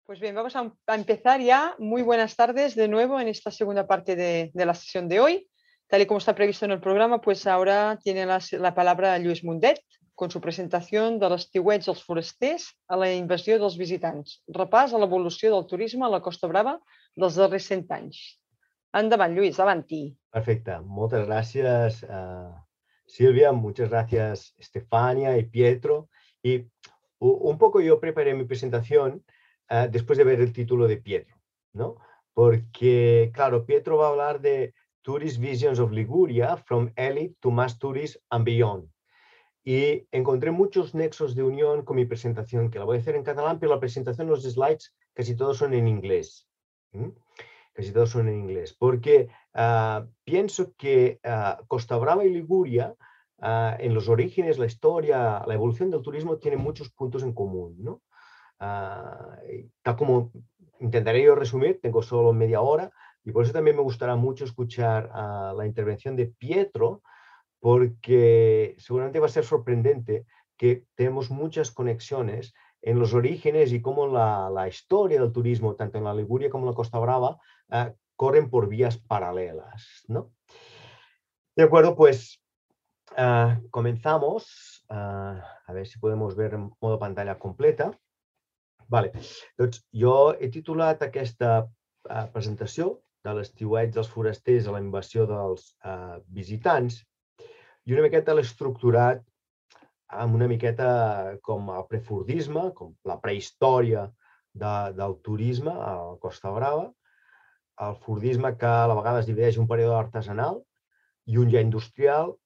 Pues bien, vamos a empezar ya. Muy buenas tardes de nuevo en esta segunda parte de la sesión de hoy. Tal y como está previsto en el programa, pues ahora tiene la palabra Lluís Mundet con su presentación de l'estiueig dels forasters a la invasió dels visitants. Repàs a l'evolució del turisme a la Costa Brava dels darrers 100 anys. Endavant, Lluís, avanti. Perfecto, muchas gracias Silvia, muchas gracias Estefania y Pietro. Y un poco yo preparé mi presentación después de ver el título de Pietro, ¿no? Porque, claro, Pietro va a hablar de Tourist Visions of Liguria, From Elite to Mass Tourist and Beyond. Y encontré muchos nexos de unión con mi presentación, que la voy a hacer en catalán, pero la presentación, los slides, casi todos son en inglés. Casi todos son en inglés, porque pienso que Costa Brava y Liguria, en los orígenes, la historia, la evolución del turismo, tienen muchos puntos en común, ¿no? Tal como intentaré yo resumir, tengo solo media hora, y por eso también me gustará mucho escuchar la intervención de Pietro, porque seguramente va a ser sorprendente que tenemos muchas conexiones en los orígenes y cómo la historia del turismo, tanto en la Liguria como en la Costa Brava, corren por vías paralelas, ¿no? De acuerdo, pues comenzamos. A ver si podemos ver en modo pantalla completa. Vale, doncs jo he titulat aquesta presentació de l'estiueig dels forasters a la invasió dels visitants i una miqueta l'he estructurat amb una miqueta com el prefordisme, com la prehistòria del turisme a la Costa Brava, el fordisme que a la vegada es divideix un període artesanal i un ja industrial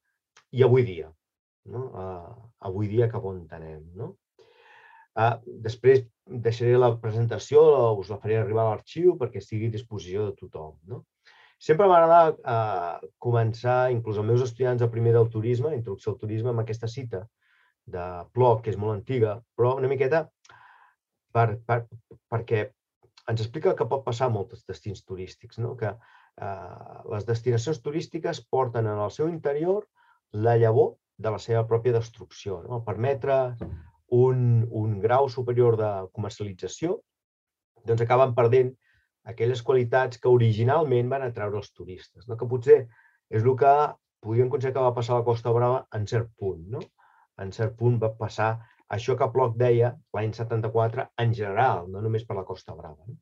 i avui dia, no? Avui dia cap on anem, no? Després deixaré la presentació, us la faré arribar a l'arxiu perquè estigui a disposició de tothom, no? Sempre m'agrada començar, inclús els meus estudiants de primer del turisme, introducció al turisme, amb aquesta cita de Plot, que és molt antiga, però una miqueta perquè ens explica que pot passar a molts destins turístics, no? Que les destinacions turístiques porten en el seu interior la llavor de la seva pròpia destrucció, no? Permetre un grau superior de comercialització, doncs acaben perdent aquelles qualitats que originalment van atraure els turistes, no? Que potser és el que podríem considerar que va passar a la Costa Brava en cert punt, no? En cert punt va passar això que Plot deia l'any 74 en general, no només per la Costa Brava. No?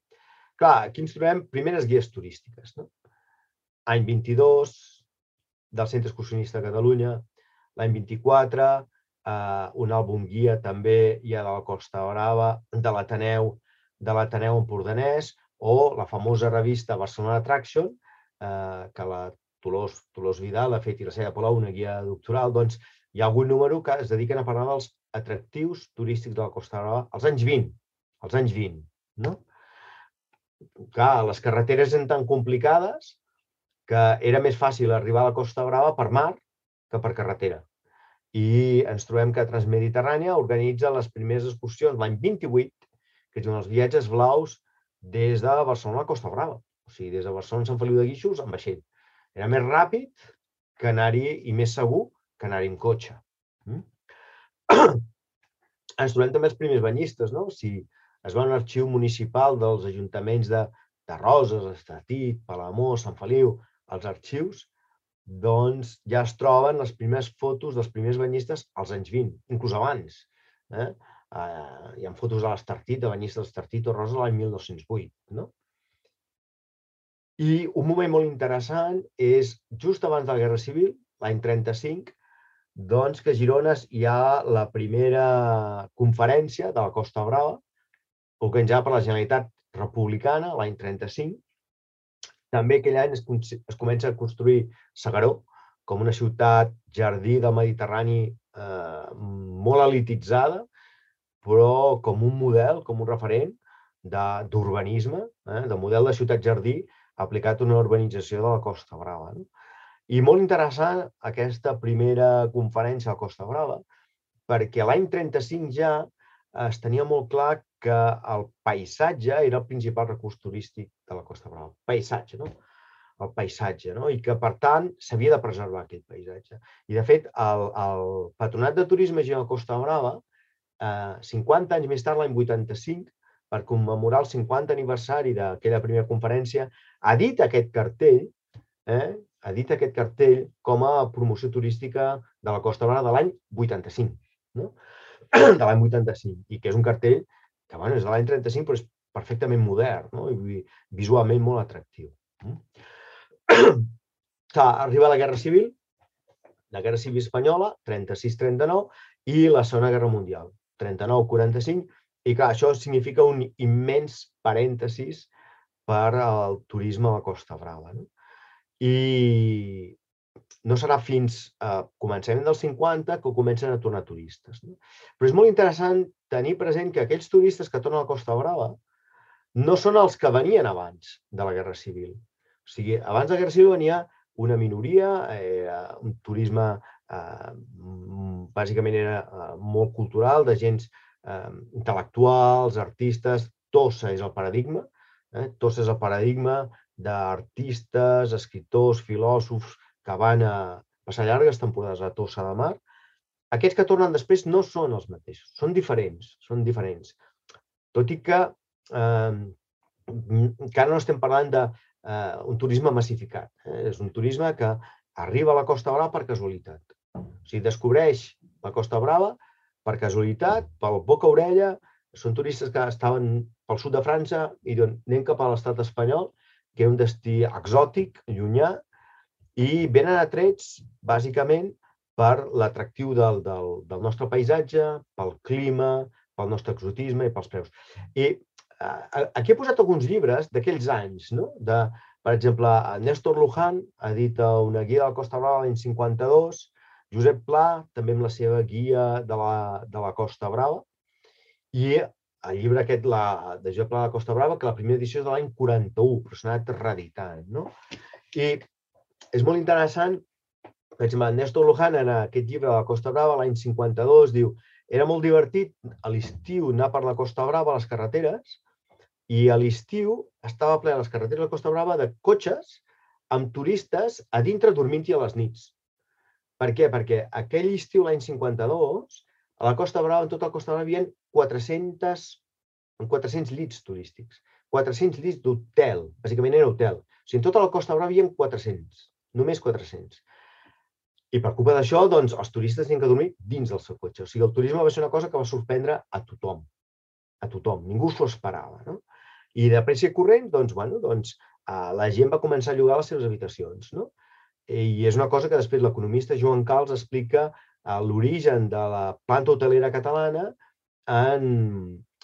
Clar, aquí ens trobem primeres guies turístiques, no? Any 22 del Centre Excursionista de Catalunya, l'any 24 un àlbum guia també ja de la Costa Brava, de l'Ateneu Empordanès, o la famosa revista Barcelona Attraction, que la Dolors Vidal ha fet i la Cèlia Palau, una guia doctoral, doncs hi ha algun número que es dediquen a parlar dels atractius turístics de la Costa Brava als anys 20, no? Clar, les carreteres eren tan complicades que era més fàcil arribar a la Costa Brava per mar que per carretera. I ens trobem que Transmediterrània organitza les primeres excursions l'any 28, que són els viatges blaus des de Barcelona a la Costa Brava. O sigui, des de Barcelona a Sant Feliu de Guíxols amb vaixell. Era més ràpid que anar-hi i més segur que anar-hi amb cotxe. Ens trobem també els primers banyistes, no? Si es va a un arxiu municipal dels ajuntaments de Roses, Estatit, Palamós, Sant Feliu, els arxius, doncs ja es troben les primeres fotos dels primers banyistes als anys 20, inclús abans. Hi ha fotos de l'Estartit, de banyistes de l'Estartit o Rosa l'any 1208. No? I un moment molt interessant és just abans de la Guerra Civil, l'any 35, doncs que a Girona hi ha la primera conferència de la Costa Brava, organitzada per la Generalitat Republicana l'any 35. També aquell any es comença a construir S'Agaró com una ciutat jardí del Mediterrani molt elititzada, però com un model, com un referent d'urbanisme, de model de ciutat jardí aplicat a una urbanització de la Costa Brava. I molt interessant aquesta primera conferència a la Costa Brava, perquè l'any 35 ja es tenia molt clar que el paisatge era el principal recurs turístic de la Costa Brava. Paisatge, no? El paisatge, no? I que, per tant, s'havia de preservar aquest paisatge. I, de fet, el Patronat de Turisme de la Costa Brava, 50 anys més tard, l'any 85, per commemorar el 50 aniversari d'aquella primera conferència, edita aquest cartell com a promoció turística de la Costa Brava de l'any 85, no? De l'any 85, i que és un cartell que és de l'any 35, però és perfectament modern, no? I visualment molt atractiu. Arriba la Guerra Civil espanyola, 36-39, i la Segona Guerra Mundial, 39-45, i clar, això significa un immens parèntesis per al turisme a la Costa Brava. I no serà fins a començament dels 50 que comencen a tornar turistes. Però és molt interessant tenir present que aquells turistes que tornen a la Costa Brava no són els que venien abans de la Guerra Civil. O sigui, abans de la Guerra Civil venia una minoria, un turisme bàsicament era molt cultural, de gens intel·lectuals, artistes. Tossa és el paradigma. Tossa és el paradigma d'artistes, escriptors, filòsofs que van a passar llargues temporades a Tossa de Mar. Aquests que tornen després no són els mateixos, són diferents. Tot i que encara no estem parlant d'un turisme massificat. És un turisme que arriba a la Costa Brava per casualitat. O sigui, descobreix la Costa Brava per casualitat, pel boca-orella. Són turistes que estaven pel sud de França i diuen anem cap a l'estat espanyol, que és un destí exòtic, llunyà, i venen atrets, bàsicament, per l'atractiu del nostre paisatge, pel clima, pel nostre exotisme i pels preus. I aquí he posat alguns llibres d'aquells anys. Per exemple, Néstor Luján ha dit una guia de la Costa Brava l'any 52, Josep Pla també amb la seva guia de la Costa Brava, i el llibre aquest de Josep Pla de la Costa Brava, que la primera edició és de l'any 41, però s'ha anat reeditant. I és molt interessant, per exemple, Néstor Luján en aquest llibre de la Costa Brava l'any 52 diu: era molt divertit a l'estiu anar per la Costa Brava a les carreteres, i a l'estiu estava ple a les carreteres de la Costa Brava de cotxes amb turistes a dintre dormint-hi a les nits. Per què? Perquè aquell estiu, l'any 52, a la Costa Brava, en tota la Costa Brava, hi havia 400 llits turístics, 400 llits d'hotel, bàsicament era hotel. O sigui, en tota la Costa Brava hi havia 400, només 400. I per culpa d'això, doncs, els turistes tenien que dormir dins del seu cotxe. O sigui, el turisme va ser una cosa que va sorprendre a tothom. A tothom. Ningú s'ho esperava. I de pressa i corrent, doncs, la gent va començar a llogar les seves habitacions. I és una cosa que després l'economista Joan Cals explica l'origen de la planta hotelera catalana en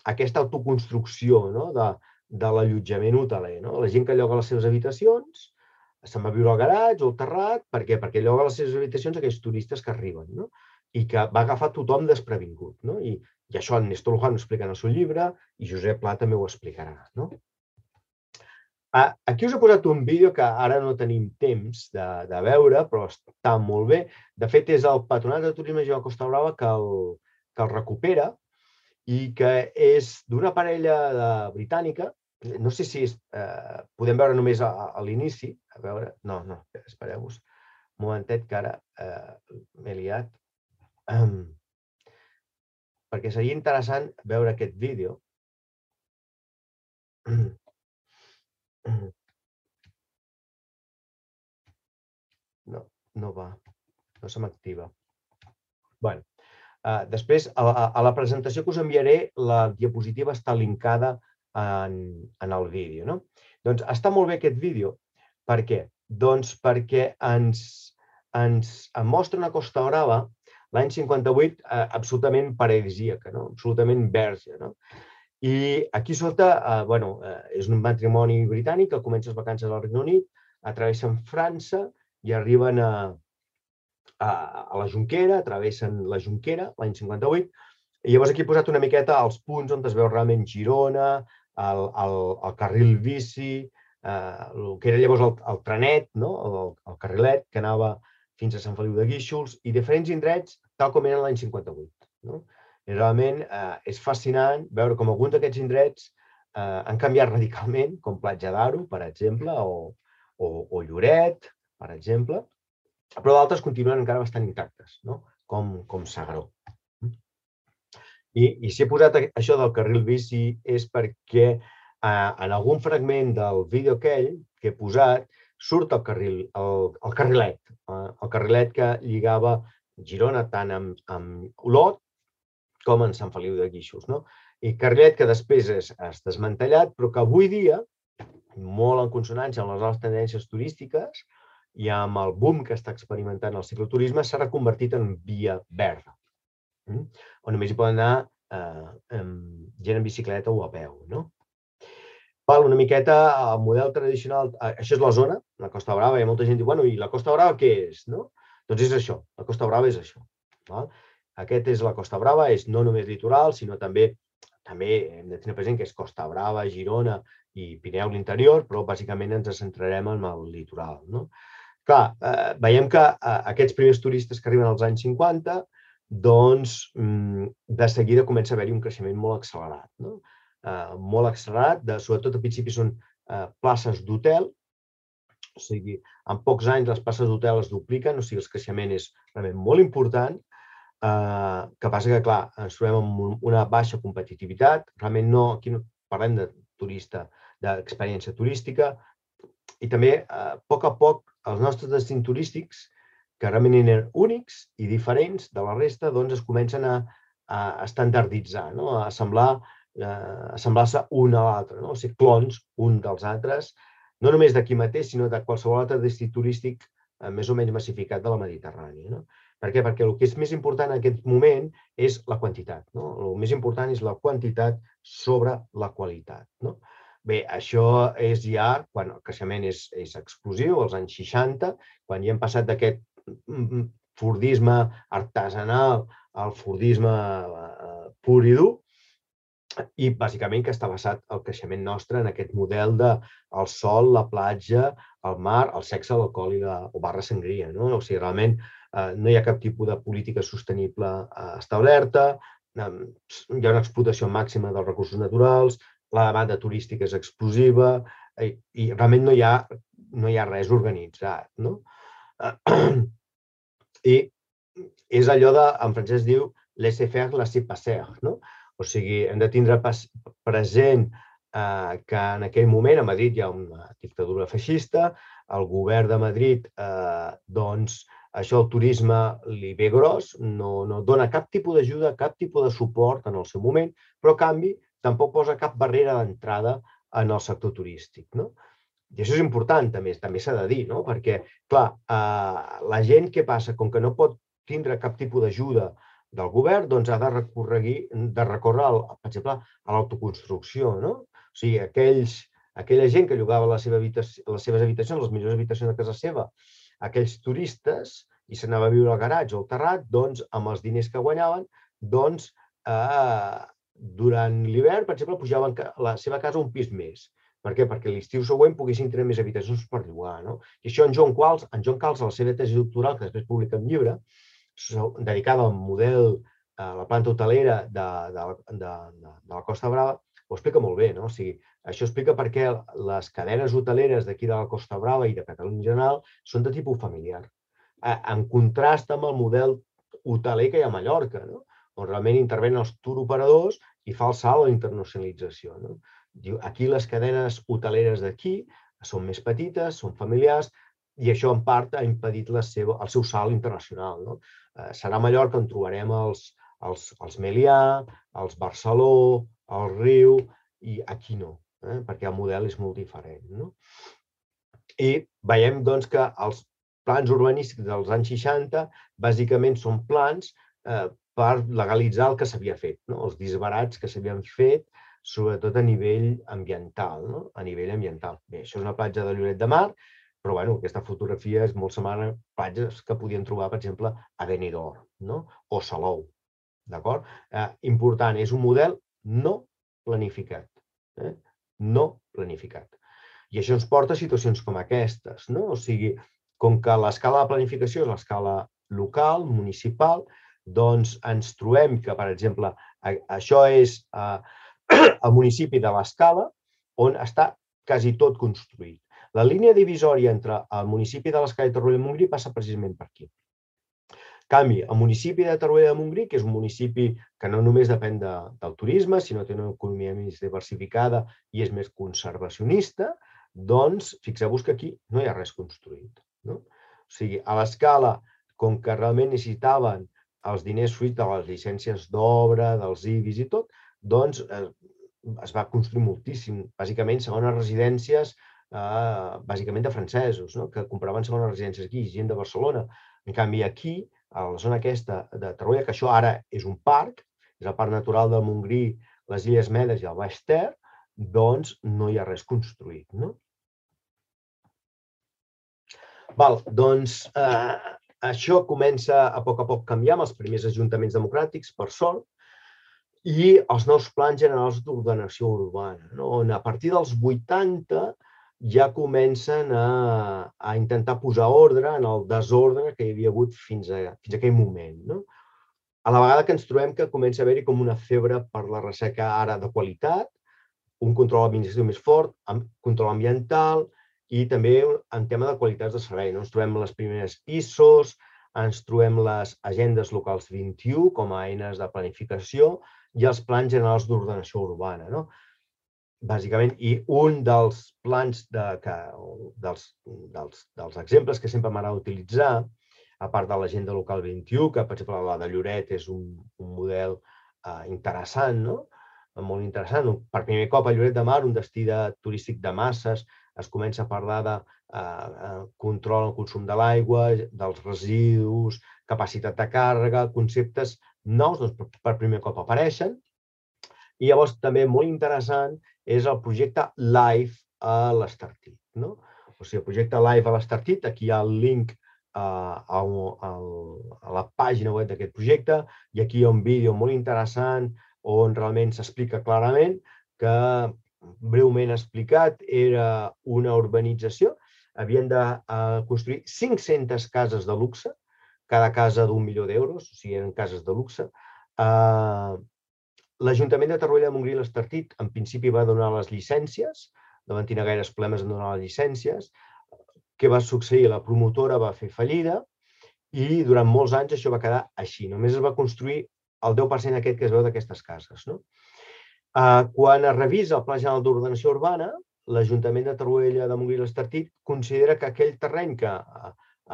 aquesta autoconstrucció de l'allotjament hoteler. La gent que lloga les seves habitacions se'n va viure al garatge o al terrat. Per què? Perquè lloga les seves habitacions a aquells turistes que arriben i que va agafar tothom desprevingut. I això en Néstor Luján ho explica en el seu llibre i Josep Pla també ho explicarà. Aquí us he posat un vídeo que ara no tenim temps de veure, però està molt bé. De fet, és el Patronat de Turisme de la Costa Brava que el recupera i que és d'una parella britànica. No sé si podem veure només a l'inici. A veure, no, espereu-vos un momentet que ara m'he liat. Perquè seria interessant veure aquest vídeo. No va, no se m'activa. Bé, després, a la presentació que us enviaré, la diapositiva està linkada en el vídeo. Doncs està molt bé aquest vídeo. Per què? Doncs perquè ens mostra una Costa Brava l'any 58 absolutament paradisíaca, absolutament verge. I aquí sota és un matrimoni britànic que comença les vacances al Regne Unit, travessen França i arriben a la Jonquera, travessen la Jonquera l'any 58, i llavors aquí he posat una miqueta els punts on es veu realment Girona, el carril bici, el que era llavors el trenet, el carrilet que anava fins a Sant Feliu de Guíxols, i diferents indrets tal com eren l'any 58. I realment és fascinant veure com alguns d'aquests indrets han canviat radicalment, com Platja d'Aro, per exemple, o Lloret, per exemple, però d'altres continuen encara bastant intactes, com S'Agaró. I si he posat això del carril bici és perquè en algun fragment del vídeo aquell que he posat surt el carrilet que lligava Girona tant amb Olot com en Sant Feliu de Guíxols. I carrilet que després és desmantellat, però que avui dia, molt en consonància amb les noves tendències turístiques i amb el boom que està experimentant el cicloturisme, s'ha reconvertit en via verda, on només hi poden anar gent en bicicleta o a peu. Una miqueta el model tradicional, això és la zona, la Costa Brava, hi ha molta gent que diu, bueno, i la Costa Brava què és? Doncs és això, la Costa Brava és això. Aquest és la Costa Brava, és no només litoral, sinó també hem de tenir present que és Costa Brava, Girona i Pirineu l'interior, però bàsicament ens centrarem en el litoral. Clar, veiem que aquests primers turistes que arriben als anys 50, doncs de seguida comença a haver-hi un creixement molt accelerat. Molt accelerat, sobretot al principi són places d'hotel, o sigui, en pocs anys les places d'hotel es dupliquen, o sigui, el creixement és realment molt important. Que passa que, clar, ens trobem amb una baixa competitivitat, realment aquí no parlem de turista, d'experiència turística, i també, a poc, els nostres destins turístics, que realment eren únics i diferents de la resta, doncs es comencen a estandarditzar, a assemblar-se un a l'altre, o sigui, clons un dels altres, no només d'aquí mateix, sinó de qualsevol altre destí turístic més o menys massificat de la Mediterrània. Per què? Perquè el que és més important en aquest moment és la quantitat. El més important és la quantitat sobre la qualitat. Bé, això és ja quan el creixement és explosiu, als anys 60, quan ja hem passat d'aquest fordisme artesanal al fordisme pur i dur, i bàsicament que està basat el creixement nostre en aquest model del sol, la platja, el mar, el sexe, l'alcohol o barra sangria. O sigui, realment no hi ha cap tipus de política sostenible establerta, hi ha una explotació màxima dels recursos naturals, la demanda turística és explosiva i realment no hi ha res organitzat. I és allò en francès diu laisser faire, laisser passer. O sigui, hem de tindre present que en aquell moment a Madrid hi ha una dictadura feixista, el govern de Madrid, doncs, això el turisme li ve gros, no dona cap tipus d'ajuda, cap tipus de suport en el seu moment, però a canvi tampoc posa cap barrera d'entrada en el sector turístic. I això és important, també s'ha de dir, perquè, clar, la gent, què passa? Com que no pot tindre cap tipus d'ajuda del govern, doncs ha de recórrer, per exemple, a l'autoconstrucció. O sigui, aquella gent que llogava les seves habitacions, les millors habitacions de casa seva, aquells turistes, i s'anava a viure al garatge o al terrat, doncs, amb els diners que guanyaven, doncs, durant l'hivern, per exemple, pujaven la seva casa un pis més. Per què? Perquè l'estiu següent poguessin tenir més habitacions per llogar. I això en Joan Cals, a la seva tesi doctoral, que després publica un llibre, dedicada al model, a la planta hotelera de la Costa Brava, ho explica molt bé. O sigui, això explica per què les cadenes hoteleres d'aquí de la Costa Brava i de Catalunya en general són de tipus familiar, en contrast amb el model hoteler que hi ha a Mallorca, on realment intervenen els turoperadors i fa el salt a la internacionalització. Aquí les cadenes hoteleres d'aquí són més petites, són familiars, i això en part ha impedit el seu salt internacional. Serà a Mallorca on trobarem els Melià, els Barceló, el Riu, i aquí no, perquè el model és molt diferent. I veiem que els plans urbanístics dels anys 60 bàsicament són plans per legalitzar el que s'havia fet, els disbarats que s'havien fet, sobretot a nivell ambiental. Bé, això és una platja de Lloret de Mar, però aquesta fotografia és molt semblant a platges que podien trobar, per exemple, a Benidorm o Salou. Important, és un model no planificat. No planificat. I això ens porta a situacions com aquestes. O sigui, com que l'escala de planificació és l'escala local, municipal, doncs ens trobem que, per exemple, això és el municipi de l'Escala, on està quasi tot construït. La línia divisòria entre el municipi de l'Escala i Torroella de Montgrí passa precisament per aquí. canvi, el municipi de Torroella de Montgrí, que és un municipi que no només depèn del turisme, sinó que té una economia més diversificada i és més conservacionista, doncs fixeu-vos que aquí no hi ha res construït. O sigui, a l'escala, com que realment necessitaven els diners fruit de les llicències d'obra, dels IBIs i tot, doncs es va construir moltíssim, bàsicament segones residències, bàsicament de francesos, que compraven segones residències aquí, gent de Barcelona. En canvi, aquí, a la zona aquesta de Torroella, que això ara és un parc, és el Parc Natural del Montgrí, les Illes Medes i el Baix Ter, doncs no hi ha res construït. Doncs això comença a poc canviar amb els primers ajuntaments democràtics, per sort, i els nous plans generals d'ordenació urbana, on a partir dels 80 ja comencen a intentar posar ordre en el desordre que hi havia hagut fins a aquell moment. A la vegada que ens trobem que comença a haver-hi com una febre per la recerca ara de qualitat, un control administratiu més fort, control ambiental i també en tema de qualitats de servei. Ens trobem les primeres ISOs, ens trobem les agendes locals 21 com a eines de planificació i els plans generals d'ordenació urbana. Bàsicament, i un dels plans, dels exemples que sempre m'agrada utilitzar, a part de l'agenda local 21, que per exemple la de Lloret és un model interessant, molt interessant. Per primer cop a Lloret de Mar, un destí turístic de masses, es comença a parlar de control del consum de l'aigua, dels residus, capacitat de càrrega, conceptes nous, per primer cop apareixen. I llavors també molt interessant és el projecte LIFE a l'Estartit. O sigui, el projecte LIFE a l'Estartit, aquí hi ha el link a la pàgina web d'aquest projecte i aquí hi ha un vídeo molt interessant on realment s'explica clarament que, breument explicat, era una urbanització. Havien de construir 500 cases de luxe, cada casa d'1 milió d'euros, o sigui, eren cases de luxe. L'Ajuntament de Torroella de Montgrí i l'Estartit, en principi, va donar les llicències, no van tenir gaires problemes en donar les llicències. Què va succeir? La promotora va fer fallida i durant molts anys això va quedar així. Només es va construir el 10% aquest que es veu d'aquestes cases. Quan es revisa el Pla General d'Ordenació Urbana, l'Ajuntament de Torroella de Montgrí i l'Estartit considera que aquell terreny que,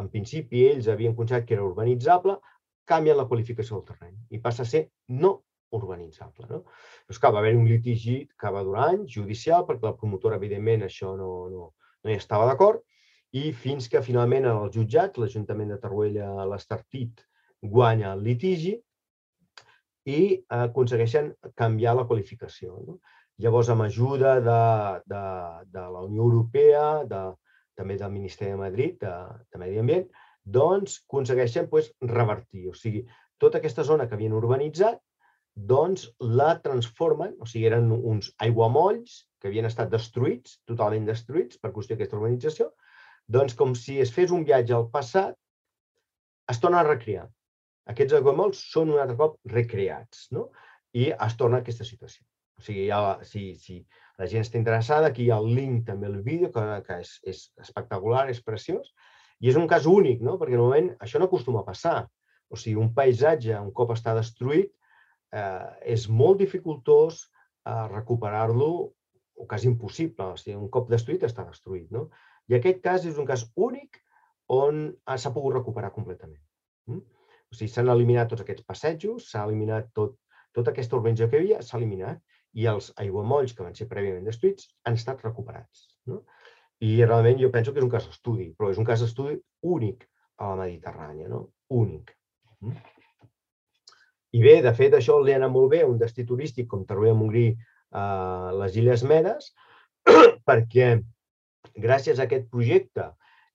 en principi, ells havien considerat que era urbanitzable, canvien la qualificació del terreny i passa a ser no urbanitzable. Doncs clar, va haver-hi un litigi que va durar anys, judicial, perquè la promotora, evidentment, això no hi estava d'acord, i fins que finalment en els jutjats l'Ajuntament de Torroella i l'Estartit guanya el litigi i aconsegueixen canviar la qualificació. Llavors, amb ajuda de la Unió Europea, també del Ministeri de Madrid, de Medi Ambient, doncs aconsegueixen revertir. O sigui, tota aquesta zona que havien urbanitzat, doncs la transformen, o sigui, eren uns aiguamolls que havien estat destruïts, totalment destruïts per qüestió d'aquesta urbanització, doncs com si es fes un viatge al passat, es torna a recrear. Aquests aiguamolls són un altre cop recreats i es torna a aquesta situació. O sigui, si la gent està interessada, aquí hi ha el link també al vídeo, que és espectacular, és preciós, i és un cas únic, perquè normalment això no acostuma a passar. O sigui, un paisatge, un cop està destruït, és molt dificultós recuperar-lo, o quasi impossible. O sigui, un cop destruït està destruït. I aquest cas és un cas únic on s'ha pogut recuperar completament. O sigui, s'han eliminat tots aquests passejos, s'ha eliminat tota aquesta urbanització que hi havia, s'ha eliminat, i els aiguamolls que van ser prèviament destruïts han estat recuperats. I realment jo penso que és un cas d'estudi, però és un cas d'estudi únic a la Mediterrània, únic. I bé, de fet, això li ha anat molt bé a un destí turístic com Torroella de Montgrí, les Illes Medes, perquè gràcies a aquest projecte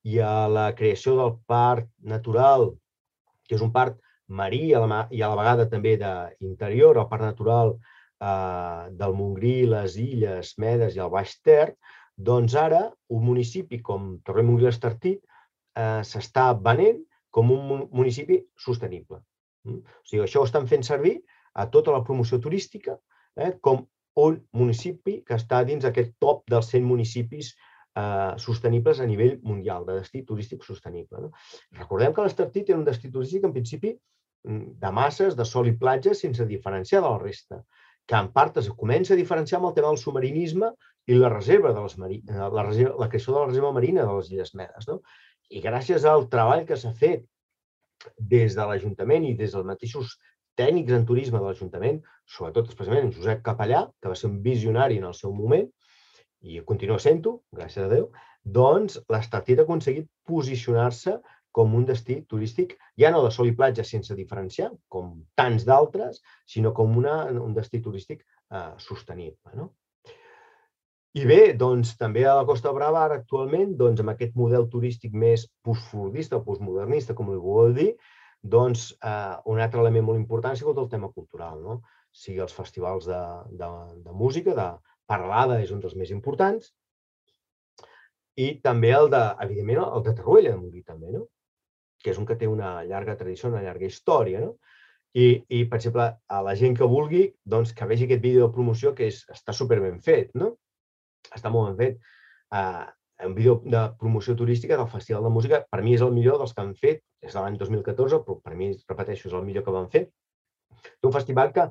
i a la creació del Parc Natural, que és un parc marí i a la vegada també d'interior, el Parc Natural del Montgrí, les Illes Medes i el Baix Ter, doncs ara un municipi com Torroella de Montgrí i l'Estartit s'està venent com un municipi sostenible. O sigui, això ho estan fent servir a tota la promoció turística com un municipi que està dins aquest top dels 100 municipis sostenibles a nivell mundial, de destí turístic sostenible. Recordem que l'Estartit era un destí turístic, en principi, de masses, de sol i platja, sense diferenciar de la resta, que en part es comença a diferenciar amb el tema del submarinisme i la reserva de la creació de la reserva marina de les Illes Medes. I gràcies al treball que s'ha fet des de l'Ajuntament i des dels mateixos tècnics en turisme de l'Ajuntament, sobretot especialment en Josep Capellà, que va ser un visionari en el seu moment, i continua sent-ho, gràcies a Déu, doncs l'Estartit ha aconseguit posicionar-se com un destí turístic, ja no de sol i platja sense diferenciar, com tants d'altres, sinó com un destí turístic sostenible. I bé, doncs també a la Costa Brava, ara actualment, amb aquest model turístic més postfordista o postmodernista, com li vulgueu dir, doncs un altre element molt important ha sigut el tema cultural, sigui els festivals de música, de parlada és un dels més importants, i també evidentment, el de Tarruella de Montgrí també, que és un que té una llarga tradició, una llarga història. I, per exemple, a la gent que vulgui, que vegi aquest vídeo de promoció que està superben fet. Està molt ben fet. Un vídeo de promoció turística del Festival de Música, per mi és el millor dels que han fet, és de l'any 2014, però per mi, repeteixo, és el millor que van fer. Un festival que,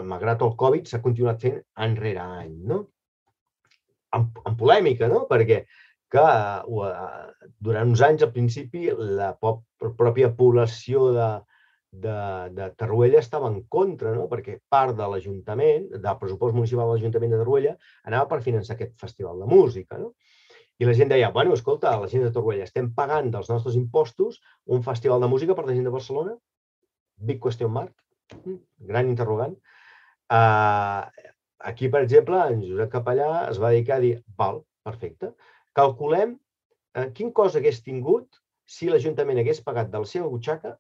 malgrat el Covid, s'ha continuat fent any rere any. Amb polèmica, perquè durant uns anys, al principi, la pròpia població de Tarruella estava en contra, perquè part de l'Ajuntament, del pressupost municipal de l'Ajuntament de Tarruella, anava per finançar aquest festival de música. I la gent deia, bueno, escolta, la gent de Tarruella, estem pagant dels nostres impostos un festival de música per la gent de Barcelona? Big question mark. Gran interrogant. Aquí, per exemple, en Josep Capellà es va dedicar a dir, val, perfecte, calculem quin cost hagués tingut si l'Ajuntament hagués pagat de la seva butxaca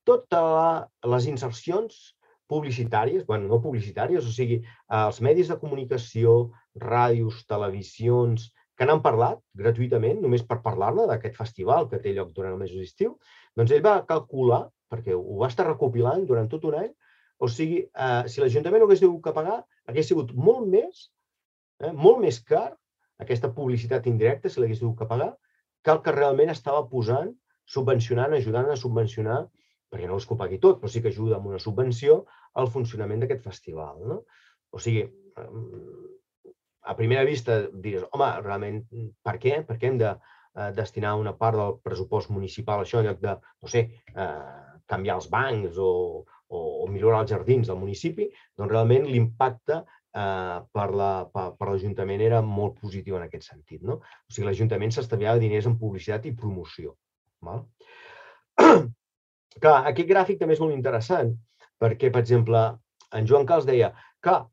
totes les insercions publicitàries, bueno, no publicitàries, o sigui, els medis de comunicació, ràdios, televisions, que n'han parlat gratuïtament, només per parlar-ne d'aquest festival que té lloc durant el mes d'estiu, doncs ell va calcular, perquè ho va estar recopilant durant tot un any, o sigui, si l'Ajuntament no hagués hagut que pagar, hagués sigut molt més car, aquesta publicitat indirecta, si l'hagués hagut que pagar, que el que realment estava posant, subvencionant, ajudant a subvencionar, perquè no és que ho pagui tot, però sí que ajuda amb una subvenció al funcionament d'aquest festival. O sigui, a primera vista dius, home, realment, per què? Per què hem de destinar una part del pressupost municipal a això en lloc de, no sé, canviar els bancs o millorar els jardins del municipi? Doncs realment l'impacte per l'Ajuntament era molt positiu en aquest sentit. O sigui, l'Ajuntament s'estalviava diners en publicitat i promoció. Clar, aquest gràfic també és molt interessant perquè, per exemple, en Joan Cals deia que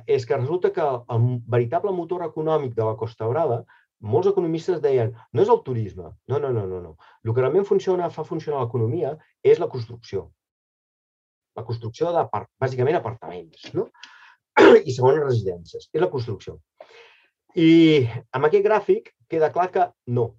és que resulta que el veritable motor econòmic de la Costa Brava, molts economistes deien, no és el turisme, no. El que realment fa funcionar l'economia és la construcció. La construcció de, bàsicament, apartaments i segones residències. És la construcció. I amb aquest gràfic queda clar que no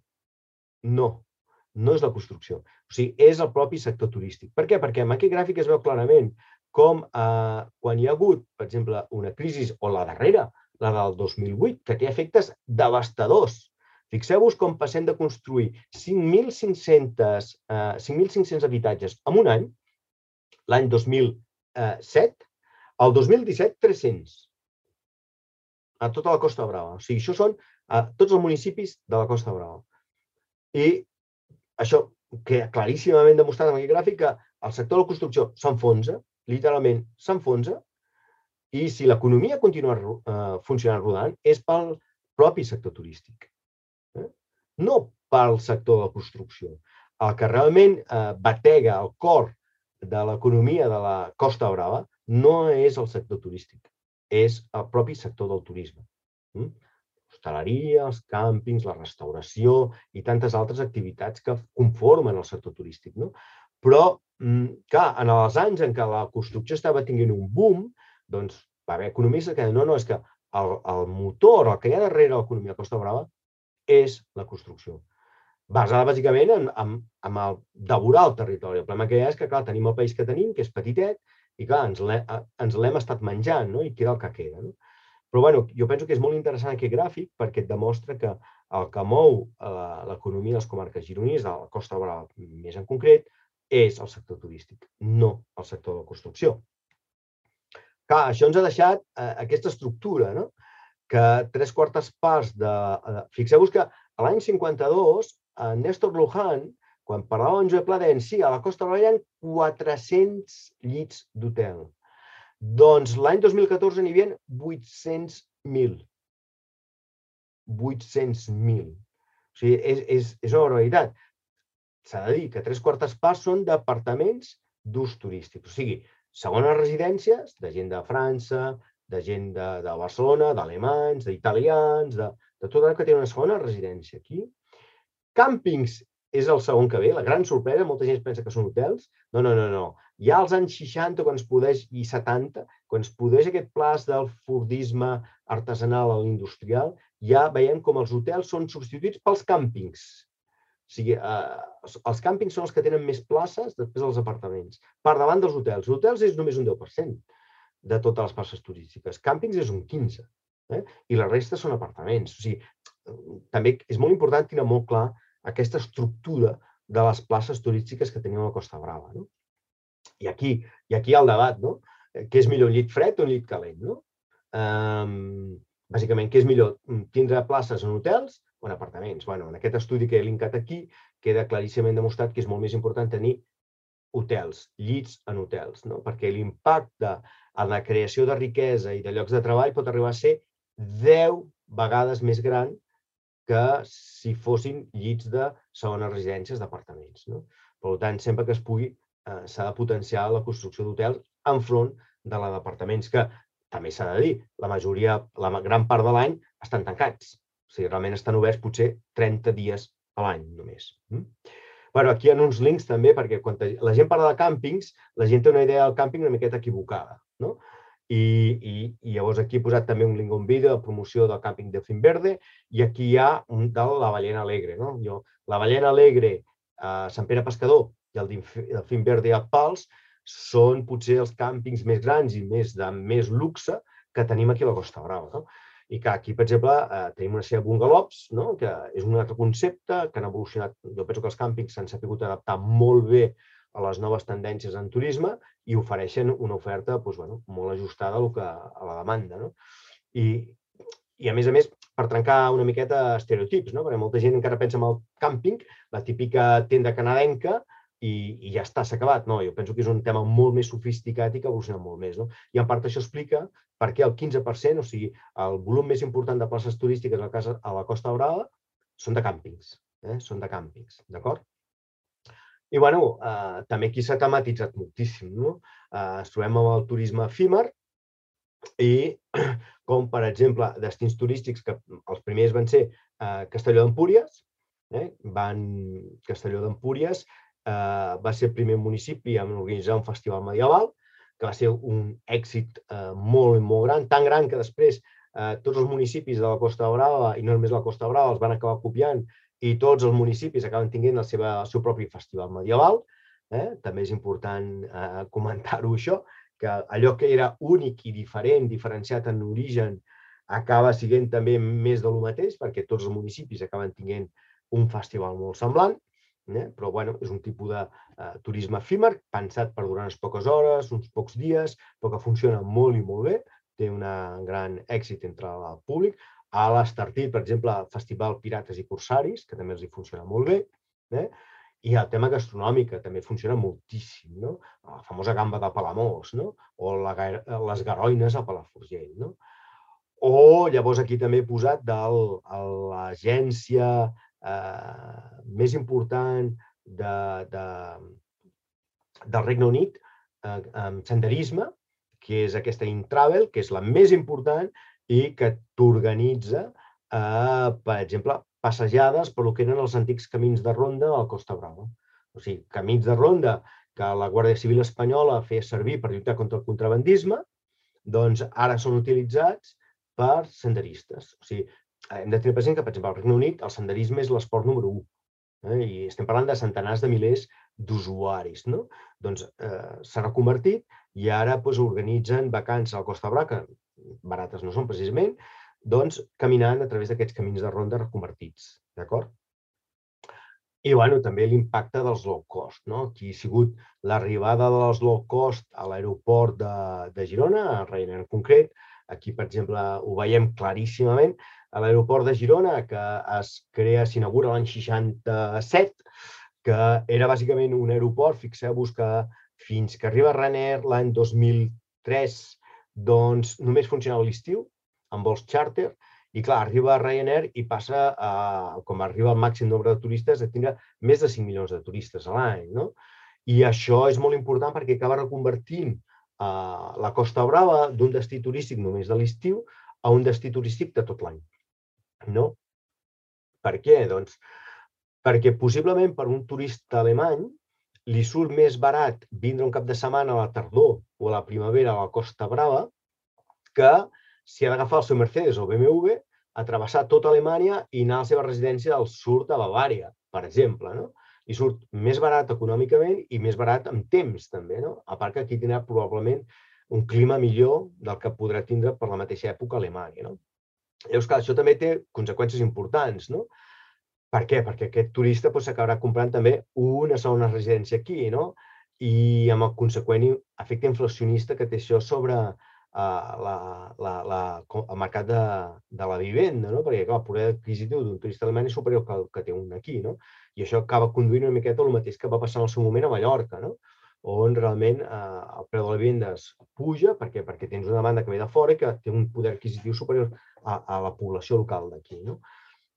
és la construcció. O sigui, és el propi sector turístic. Per què? Perquè amb aquest gràfic es veu clarament com quan hi ha hagut, per exemple, una crisi, o la darrera, la del 2008, que té efectes devastadors. Fixeu-vos com passem de construir 5.500 habitatges en un any, l'any 2007, al 2017, 300. A tota la Costa Brava. O sigui, això són tots els municipis de la Costa Brava. I això queda claríssimament demostrat en aquest gràfic que el sector de la construcció s'enfonsa, literalment s'enfonsa, i si l'economia continua funcionant rodant és pel propi sector turístic, no pel sector de la construcció. El que realment batega el cor de l'economia de la Costa Brava no és el sector turístic, és el propi sector del turisme. L'hostaleria, els càmpings, la restauració i tantes altres activitats que conformen el sector turístic. Però, clar, en els anys en què la construcció estava tenint un boom, doncs va haver economistes que deien, no, és que el motor, el que hi ha darrere l'economia de Costa Brava és la construcció. Basada, bàsicament, en el devorar el territori. El problema que hi ha és que, clar, tenim el país que tenim, que és petitet, i, clar, ens l'hem estat menjant, i queda el que queda. Però bueno, jo penso que és molt interessant aquest gràfic perquè et demostra que el que mou l'economia de les comarques gironines, de la Costa Brava més en concret, és el sector turístic, no el sector de la construcció. Clar, això ens ha deixat aquesta estructura, no? Que 3/4 parts de... Fixeu-vos que a l'any 52, Néstor Luján, quan parlava amb Joan Pladens, sí, a la Costa Brava hi ha 400 llits d'hotel. Doncs l'any 2014 n'hi havia 800.000. 800.000. O sigui, és una barbaritat. S'ha de dir que 3/4 parts són d'apartaments d'ús turístic. O sigui, segones residències de gent de França, de gent de Barcelona, d'alemanys, d'italians, de tot el que té una segona residència aquí. Càmpings és el segon que ve, la gran sorpresa, molta gent pensa que són hotels. No, no, no, no. Ja als anys 60 i 70, quan es produeix aquest plaç del fordisme artesanal a l'industrial, ja veiem com els hotels són substituïts pels càmpings. O sigui, els càmpings són els que tenen més places després dels apartaments, per davant dels hotels. Els hotels és només un 10% de totes les places turístiques. Càmpings és un 15%, i la resta són apartaments. O sigui, també és molt important tenir molt clar aquesta estructura de les places turístiques que tenim a la Costa Brava. I aquí hi ha el debat, no? Què és millor, un llit fred o un llit calent? Bàsicament, què és millor, tindre places en hotels o en apartaments? En aquest estudi que he linkat aquí queda claríssimament demostrat que és molt més important tenir hotels, llits en hotels, perquè l'impacte en la creació de riquesa i de llocs de treball pot arribar a ser 10 vegades més gran que si fossin llits de segones residències d'apartaments. Per tant, sempre que es pugui, s'ha de potenciar la construcció d'hotels enfront de la d'apartaments, que també s'ha de dir, la gran part de l'any estan tancats. O sigui, realment estan oberts potser 30 dies a l'any només. Aquí hi ha uns links també, perquè quan la gent parla de càmpings, la gent té una idea del càmping una miqueta equivocada. I llavors aquí he posat també un link a un vídeo de promoció del càmping de Finverde, i aquí hi ha un de la Ballena Alegre. La Ballena Alegre a Sant Pere Pescador i el Finverde a Pals són potser els càmpings més grans i de més luxe que tenim aquí a la Costa Brava. I que aquí, per exemple, tenim una sèrie de bungalows, que és un altre concepte que han evolucionat. Jo penso que els càmpings s'han sabut adaptar molt bé a les noves tendències en turisme i ofereixen una oferta molt ajustada a la demanda. I, a més, per trencar una miqueta estereotips, perquè molta gent encara pensa en el càmping, la típica tenda canadenca, i ja està, s'ha acabat. No, jo penso que és un tema molt més sofisticat i que ha evolucionat molt més. I en part això explica per què el 15%, o sigui, el volum més important de places turístiques a la Costa Brava són de càmpings. Són de càmpings, d'acord? I, també aquí s'ha tematitzat moltíssim. Ens trobem amb el turisme efímer i, com per exemple, destins turístics, que els primers van ser Castelló d'Empúries. Castelló d'Empúries va ser el primer municipi a organitzar un festival medieval, que va ser un èxit molt, molt gran, tan gran que després tots els municipis de la Costa Brava, i no només la Costa Brava, els van acabar copiant, i tots els municipis acaben tenint el seu propi festival medieval. També és important comentar-ho, això, que allò que era únic i diferent, diferenciat en origen, acaba sent també més del mateix, perquè tots els municipis acaben tenint un festival molt semblant, però és un tipus de turisme efímer, pensat per durar unes poques hores, uns pocs dies, però que funciona molt i molt bé, té un gran èxit entre el públic. A l'Estartit, per exemple, el Festival Pirates i Corsaris, que també els hi funciona molt bé. I el tema gastronòmic, que també funciona moltíssim. La famosa gamba de Palamós, o les garoines a Palafrugell. O llavors aquí també he posat de l'agència més important del Regne Unit en senderisme, que és aquesta Intravel, que és la més important i que t'organitza, per exemple, passejades per el que eren els antics camins de ronda a la Costa Brava. O sigui, camins de ronda que la Guàrdia Civil espanyola feia servir per lluitar contra el contrabandisme, doncs ara són utilitzats per senderistes. O sigui, hem de tenir present que, per exemple, al Regne Unit el senderisme és l'esport número 1. I estem parlant de centenars de milers d'usuaris. Doncs s'ha reconvertit i ara organitzen vacances a la Costa Brava, que barates no són precisament, doncs caminant a través d'aquests camins de ronda reconvertits, d'acord? I, bueno, també l'impacte dels low cost, no? Aquí ha sigut l'arribada dels low cost a l'aeroport de Girona, a Ryanair en concret. Aquí, per exemple, ho veiem claríssimament. A l'aeroport de Girona, que s'inaugura l'any 67, que era bàsicament un aeroport, fixeu-vos que fins que arriba Ryanair l'any 2003, doncs només funcionava l'estiu, amb vols xàrter, i clar, arriba Ryanair i passa, com arriba al màxim nombre de turistes, a tindre més de 5 milions de turistes a l'any, no? I això és molt important perquè acaba reconvertint la Costa Brava d'un destí turístic només de l'estiu a un destí turístic de tot l'any, no? Per què? Doncs perquè possiblement per un turista alemany li surt més barat vindre un cap de setmana a la tardor o a la primavera a la Costa Brava que si ha d'agafar el seu Mercedes o BMW, a travessar tota Alemanya i anar a la seva residència al sud de Bavària, per exemple, no? I surt més barat econòmicament i més barat en temps, també, no? A part que aquí tindrà probablement un clima millor del que podrà tindre per la mateixa època a Alemanya, no? Llavors, clar, això també té conseqüències importants, no? Per què? Perquè aquest turista s'acabarà comprant també una segona residència aquí, no? I amb el conseqüent efecte inflacionista que té això sobre el mercat de la vivenda, no? Perquè, clar, el poder adquisitiu d'un turista alemany és superior al que té un aquí, no? I això acaba conduint una miqueta el mateix que va passar en el seu moment a Mallorca, no? On realment el preu de la vivenda es puja, perquè tens una demanda que ve de fora i que té un poder adquisitiu superior a la població local d'aquí, no?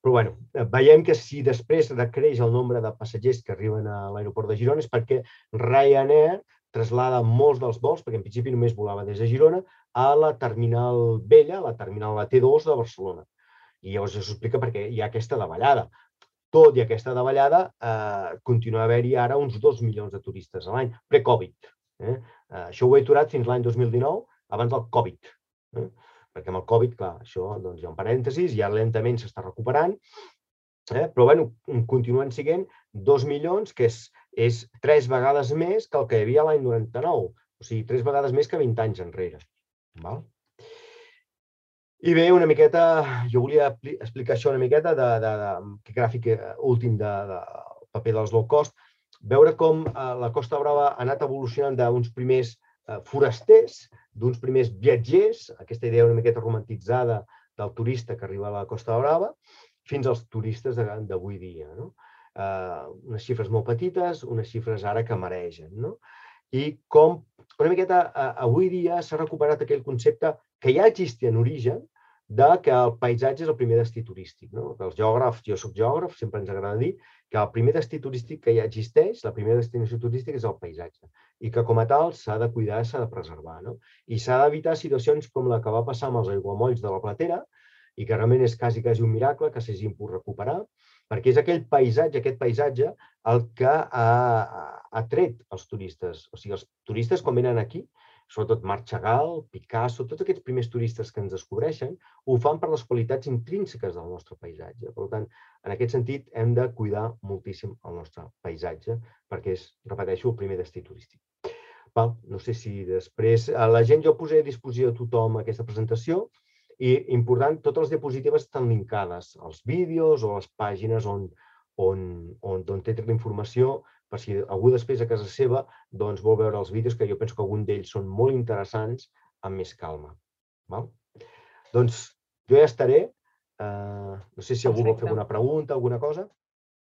Però, bueno, veiem que si després decreix el nombre de passatgers que arriben a l'aeroport de Girona és perquè Ryanair traslada molts dels vols, perquè en principi només volava des de Girona, a la terminal vella, a la terminal T2 de Barcelona. I llavors això s'explica perquè hi ha aquesta davallada. Tot i aquesta davallada, continua a haver-hi ara uns 2 milions de turistes a l'any, pre-Covid. Això ho he aturat fins l'any 2019, abans del Covid. Perquè amb el Covid, clar, això hi ha un parèntesis, ja lentament s'està recuperant, però bueno, continuen sent 2 milions, que és 3 vegades més que el que hi havia l'any 99, o sigui, 3 vegades més que 20 anys enrere. I bé, una miqueta, jo volia explicar això una miqueta d'aquest gràfic últim del paper dels low cost, veure com la Costa Brava ha anat evolucionant d'uns primers forasters, d'uns primers viatgers, aquesta idea una miqueta romantitzada del turista que arriba a la Costa Brava, fins als turistes d'avui dia. Unes xifres molt petites, unes xifres ara que maregen. I com una miqueta avui dia s'ha recuperat aquell concepte que ja existia en origen que el paisatge és el primer destí turístic. Els geògrafs, jo soc geògraf, sempre ens agrada dir que el primer destí turístic que ja existeix, la primera destinació turística és el paisatge i que com a tal s'ha de cuidar, s'ha de preservar. I s'ha d'evitar situacions com la que va passar amb els aiguamolls de la Platera i que realment és quasi un miracle que s'hagin pogut recuperar, perquè és aquest paisatge el que ha tret els turistes. O sigui, els turistes quan venen aquí, sobretot Marc Chagall, Picasso, tots aquests primers turistes que ens descobreixen, ho fan per les qualitats intrínseques del nostre paisatge. Per tant, en aquest sentit, hem de cuidar moltíssim el nostre paisatge, perquè és, repeteixo, el primer destí turístic. No sé si després... La gent, jo posaré a disposició de tothom aquesta presentació i, important, totes les diapositives estan linkades als vídeos o a les pàgines on té la informació, per si algú després a casa seva vol veure els vídeos, que jo penso que algun d'ells són molt interessants, amb més calma. Doncs jo ja estaré. No sé si algú vol fer alguna pregunta, alguna cosa.